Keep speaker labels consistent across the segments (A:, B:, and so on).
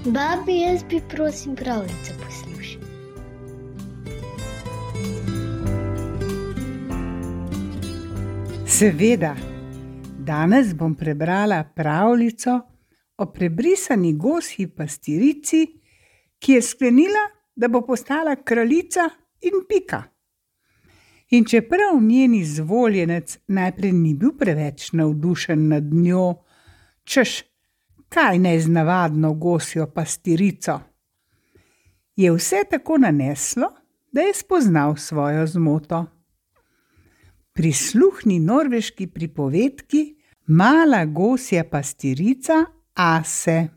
A: Babi, jaz bi prosim pravljico poslušal.
B: Seveda, danes bom prebrala pravljico o prebrisani gosji pastirici, ki je sklenila, da bo postala kraljica in pika. In čeprav njen izvoljenec najprej ni bil preveč navdušen nad njo, češ, kaj neznavadno gosjo pastirico, je vse tako naneslo, da je spoznal svojo zmoto. Prisluhni norveški pripovedki Mala gosja pastirica Ase.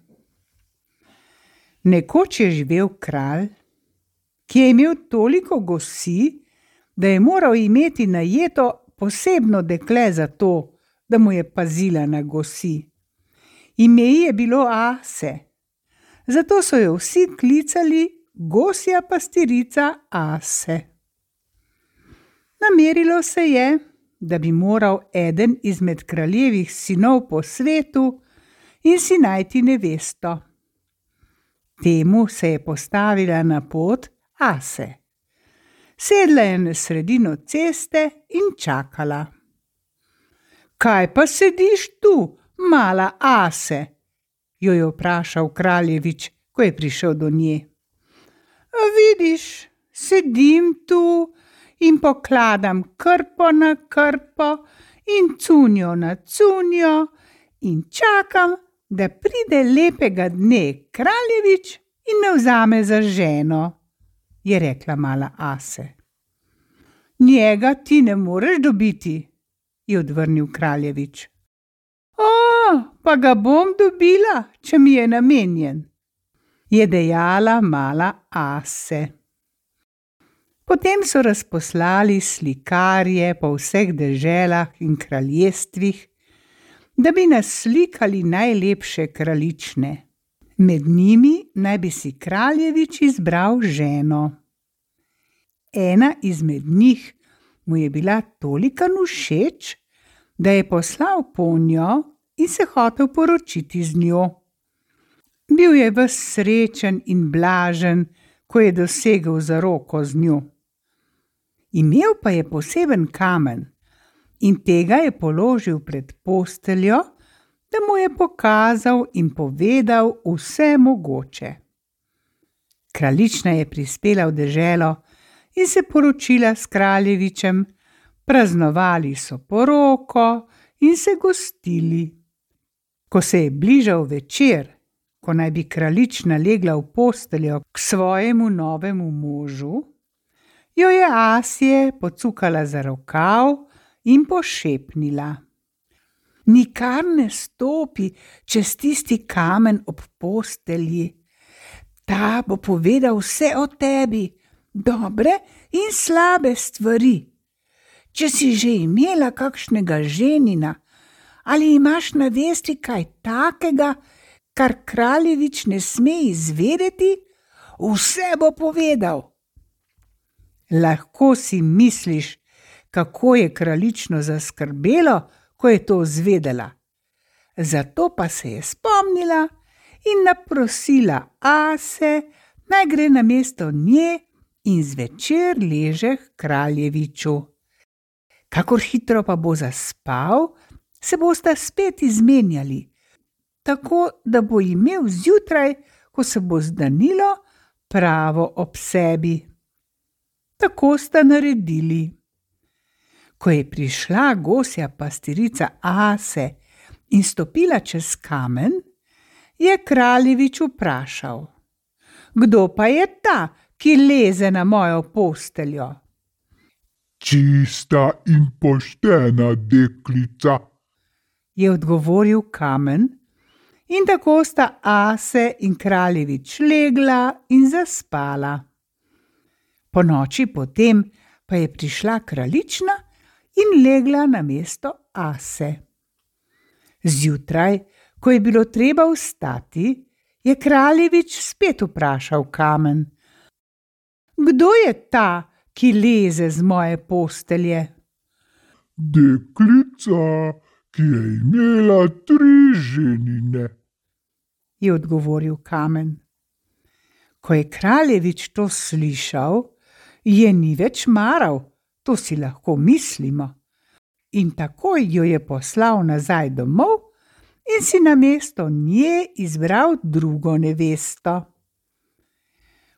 B: Nekoč je živel kralj, ki je imel toliko gosi, da je moral imeti najeto posebno dekle za to, da mu je pazila na gosi. Ime ji je bilo Ase, zato so jo vsi klicali gosja pastirica Ase. Namerilo se je, da bi moral eden izmed kraljevih sinov po svetu in si najti nevesto. Temu se je postavila na pot Ase. Sedla je na sredino ceste in čakala. Kaj pa sediš tu, mala Ase? Jo je vprašal kraljevič, ko je prišel do nje. Vidiš, sedim tu in pokladam krpo na krpo in cunjo na cunjo in čakam, da pride lepega dne kraljevič in me vzame za ženo, je rekla mala Ase. Njega ti ne moreš dobiti, je odvrnil kraljevič. Pa ga bom dobila, če mi je namenjen, je dejala mala Ase. Potem so razposlali slikarje po vseh deželah in kraljestvih, da bi naslikali najlepše kraljične. Med njimi naj bi si kraljevič izbral ženo. Ena izmed njih mu je bila tolikan všeč, da je poslal ponjo in se hotel poročiti z njo. Bil je ves srečen in blažen, ko je dosegel zaroko z njo. Imel pa je poseben kamen in tega je položil pred posteljo, da mu je pokazal in povedal vse mogoče. Kraljična je prispela v deželo in se poročila s kraljevičem, praznovali so poroko in se gostili. Ko se je bližal večer, ko naj bi kraljična legla v posteljo k svojemu novemu možu, jo je Asje pocukala za rokav in pošepnila. Nikar ne stopi čez tisti kamen ob postelji. Ta bo povedal vse o tebi, dobre in slabe stvari. Če si že imela kakšnega ženina ali imaš na vesti kaj takega, kar kraljevič ne sme izvedeti, vse bo povedal. Lahko si misliš, kako je kraljično zaskrbelo, ko je to zvedela. Zato pa se je spomnila in naprosila Ase, naj gre namesto nje in zvečer leže k kraljeviču. Kakor hitro pa bo zaspal, se bosta spet izmenjali, tako da bo imel zjutraj, ko se bo zdanilo, pravo ob sebi. Tako sta naredili. Ko je prišla gosja pastirica Ase in stopila čez kamen, je kraljevič vprašal: Kdo pa je ta, ki leze na mojo posteljo?
C: Čista in poštena deklica,
B: je odgovoril kamen, in tako sta Ase in kraljevič legla in zaspala. Ponoči potem pa je prišla kraljična in legla namesto Ase. Zjutraj, ko je bilo treba vstati, je kraljevič spet vprašal kamen: Kdo je ta, ki leze z moje postelje?
C: Deklica, ki je imela 3 ženine,
B: je odgovoril Kamen. Ko je kraljevič to slišal, je ni več maral, to si lahko mislimo. In takoj jo je poslal nazaj domov in si namesto nje izbral drugo nevesto.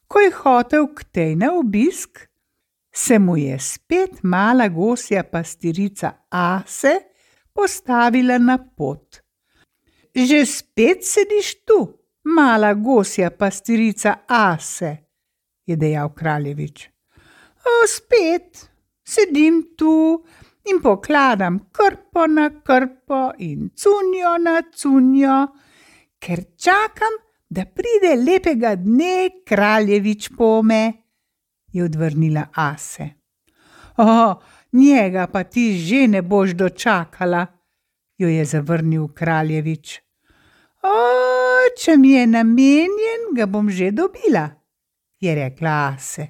B: Ko je hotel k tej na obisk, se mu je spet mala gosja pastirica Ase postavila na pot. Že spet sediš tu, mala gosja pastirica Ase, je dejal kraljevič. Spet sedim tu in pokladam krpo na krpo in cunjo na cunjo, ker čakam, da pride lepega dne kraljevič pome, je odvrnila Ase. Njega pa ti že ne boš dočakala, jo je zavrnil kraljevič. Če mi je namenjen, ga bom že dobila, je rekla Ase.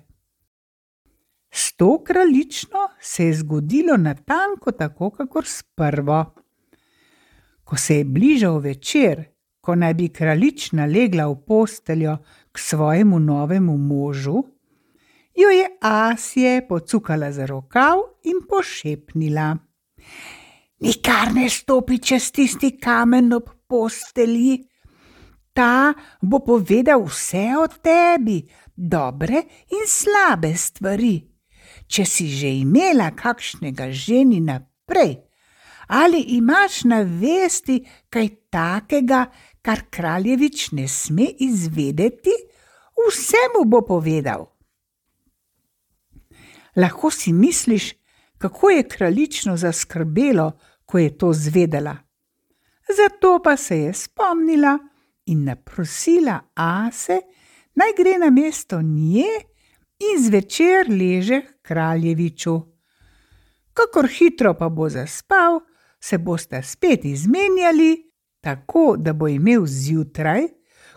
B: S to kraljično se je zgodilo natanko tako, kakor sprvo. Ko se je bližal večer, ko naj bi kraljična legla v posteljo k svojemu novemu možu, jo je Asje pocukala za rokav in pošepnila. Nikar ne stopi čez tisti kamen ob postelji. Ta bo povedal vse o tebi, dobre in slabe stvari. Če si že imela kakšnega ženina prej, ali imaš na vesti kaj takega, kar kraljevič ne sme izvedeti, vse mu bo povedal. Lahko si misliš, kako je kraljično zaskrbelo, ko je to zvedela. Zato pa se je spomnila in naprosila Ase, naj gre namesto nje in zvečer leže k kraljeviču. Kakor hitro pa bo zaspal, se bosta spet izmenjali, tako da bo imel zjutraj,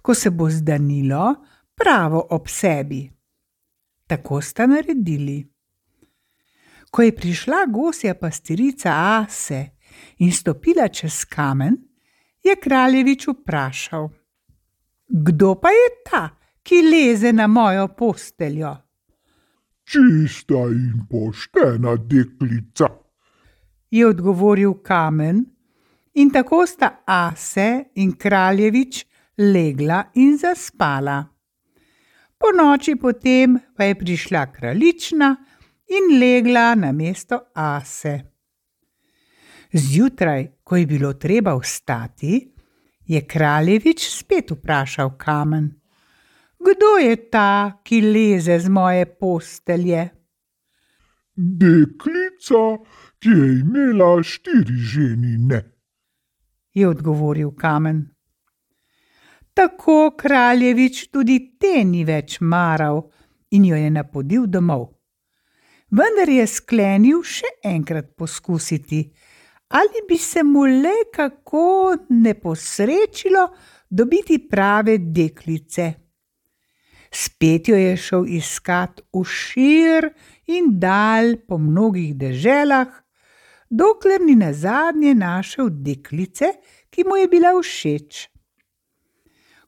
B: ko se bo zdanilo, pravo ob sebi. Tako sta naredili. Ko je prišla gosja pastirica Ase in stopila čez kamen, je kraljevič vprašal: Kdo pa je ta, ki leze na mojo posteljo?
C: Čista in poštena deklica,
B: je odgovoril Kamen, in tako sta Ase in kraljevič legla in zaspala. Po noči potem pa je prišla kraljična in legla namesto Ase. Zjutraj, ko je bilo treba vstati, je kraljevič spet vprašal Kamen: Kdo je ta, ki leze z moje postelje?
C: deklica, ki je imela 4 ženine,
B: je odgovoril Kamen. Tako kraljevič tudi te ni več maral in jo je napodil domov. Vendar je sklenil še enkrat poskusiti, ali bi se mu le kako ne posrečilo dobiti prave deklice. Spet jo je šel iskat v šir in dal po mnogih deželah, dokler ni nazadnje našel deklice, ki mu je bila všeč.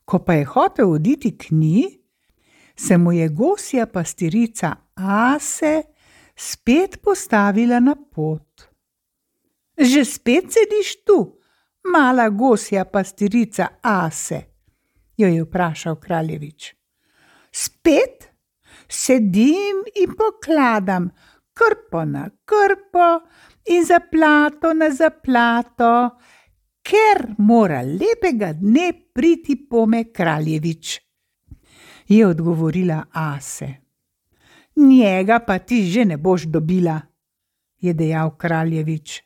B: Ko pa je hotel oditi k njej, se mu je gosja pastirica Ase spet postavila na pot. Že spet sediš tu, mala gosja pastirica Ase, jo je vprašal kraljevič. Spet sedim in pokladam krpo na krpo in zaplato na zaplato, ker mora lepega dne priti pome kraljevič, je odgovorila Ase. Njega pa ti že ne boš dobila, je dejal kraljevič.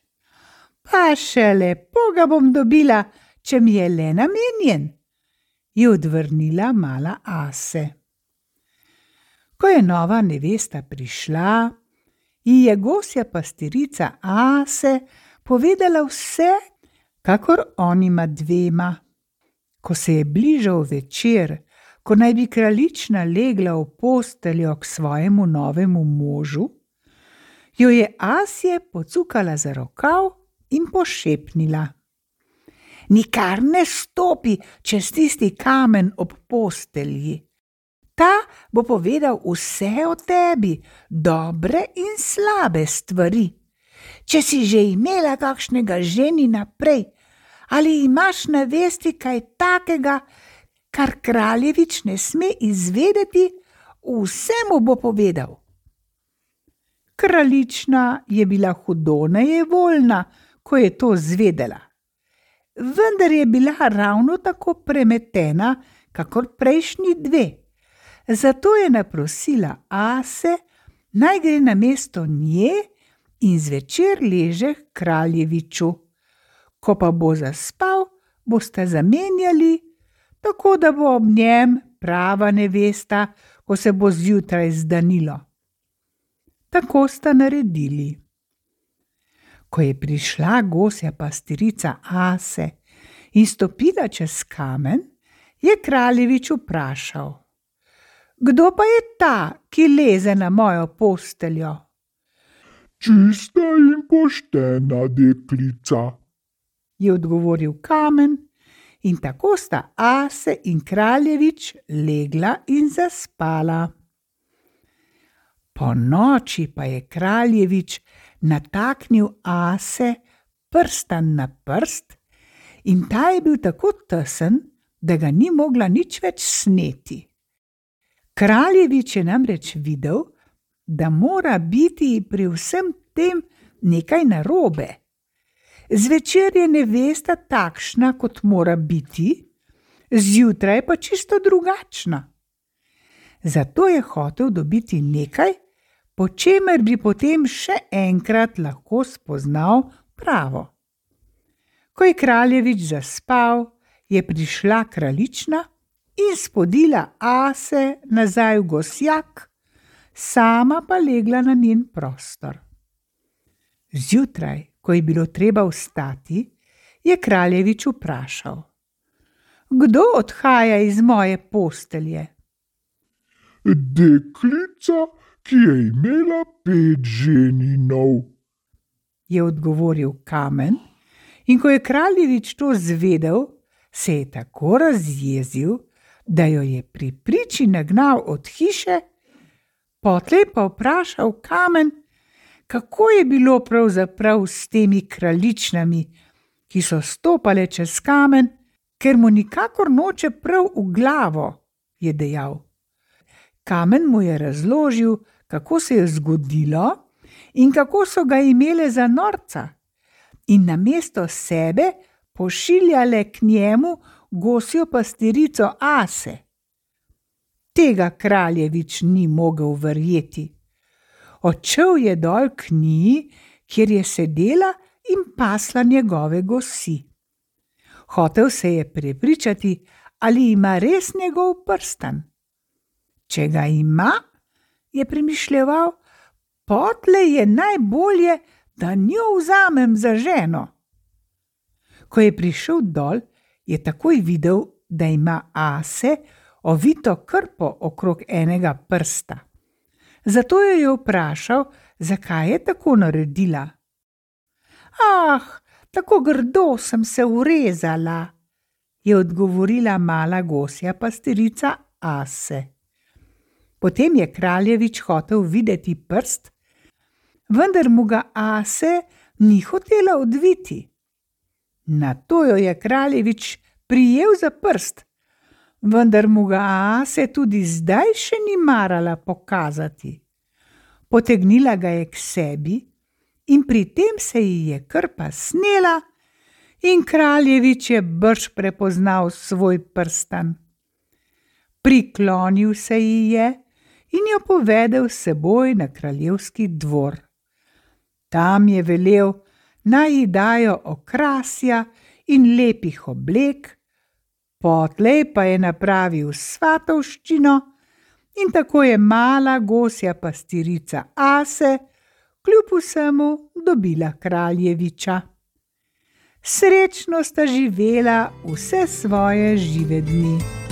B: Pa še lepo ga bom dobila, če mi je le namenjen, je odvrnila mala Ase. Ko je nova nevesta prišla, ji je gosja pastirica Ase povedala vse, kakor onima dvema. Ko se je bližal večer, ko naj bi kraljična legla v posteljo k svojemu novemu možu, jo je Asje pocukala za rokav in pošepnila. Nikar ne stopi čez tisti kamen ob postelji. Ta bo povedal vse o tebi, dobre in slabe stvari. Če si že imela kakšnega ženina prej, ali imaš na vesti kaj takega, kar kraljevič ne sme izvedeti, vse mu bo povedal. Kraljična je bila hudo nejevoljna, ko je to zvedela. Vendar je bila ravno tako premetena, kakor prejšnji dve. Zato je naprosila Ase, naj gre namesto nje in zvečer leže k kraljeviču. Ko pa bo zaspal, bosta zamenjali, tako da bo ob njem prava nevesta, ko se bo zjutraj zdanilo. Tako sta naredili. Ko je prišla gosja pastirica Ase in stopila čez kamen, je kraljevič vprašal: Kdo pa je ta, ki leze na mojo posteljo?
C: Čista in poštena deklica,
B: Je odgovoril kamen, in tako sta Ase in kraljevič legla in zaspala. Po noči pa je kraljevič nataknil Ase prstan na prst in ta je bil tako tesen, da ga ni mogla nič več sneti. Kraljevič je namreč videl, da mora biti pri vsem tem nekaj narobe. Zvečer je nevesta takšna, kot mora biti, zjutraj pa čisto drugačna. Zato je hotel dobiti nekaj, po čemer bi potem še enkrat lahko spoznal pravo. Ko je kraljevič zaspal, je prišla kraljična in spodila Ase nazaj v gosjak, sama pa legla na njen prostor. Zjutraj, ko je bilo treba vstati, je kraljevič vprašal: Kdo odhaja iz moje postelje?
C: deklica, ki je imela 5 ženinov,
B: Je odgovoril kamen, in ko je kraljevič to zvedel, se je tako razjezil, da jo je pri priči nagnal od hiše, potlej pa vprašal kamen, kako je bilo pravzaprav s temi kraljičnami, ki so stopale čez kamen, ker mu nikakor noče prav v glavo, je dejal. Kamen mu je razložil, kako se je zgodilo in kako so ga imele za norca, in namesto sebe pošiljale k njemu gosjo pastirico Ase. Tega kraljevič ni mogel verjeti. Odšel je dol k njiji, kjer je sedela in pasla njegove gosi. Hotel se je prepričati, ali ima res njegov prstan. Če ga ima, je premišljeval, potlej je najbolje, da njo vzamem za ženo. Ko je prišel dol, je takoj videl, da ima Ase ovito krpo okrog enega prsta. Zato jo je vprašal, zakaj je tako naredila. Ah, tako grdo sem se urezala, je odgovorila mala gosja pastirica Ase. Potem je kraljevič hotel videti prst, vendar mu ga Ase ni hotela odviti. Nato jo je kraljevič prijel za prst, vendar mu ga Ase tudi zdaj še ni marala pokazati. Potegnila ga je k sebi in pri tem se ji je krpa snela in kraljevič je brž prepoznal svoj prstan. Priklonil se ji je in jo povedel s seboj na kraljevski dvor. Tam je velel, naj ji dajo okrasja in lepih oblek, potlej pa je napravil svatovščino in tako je mala gosja pastirica Ase kljub vsemu dobila kraljeviča. Srečno sta živela vse svoje žive dni.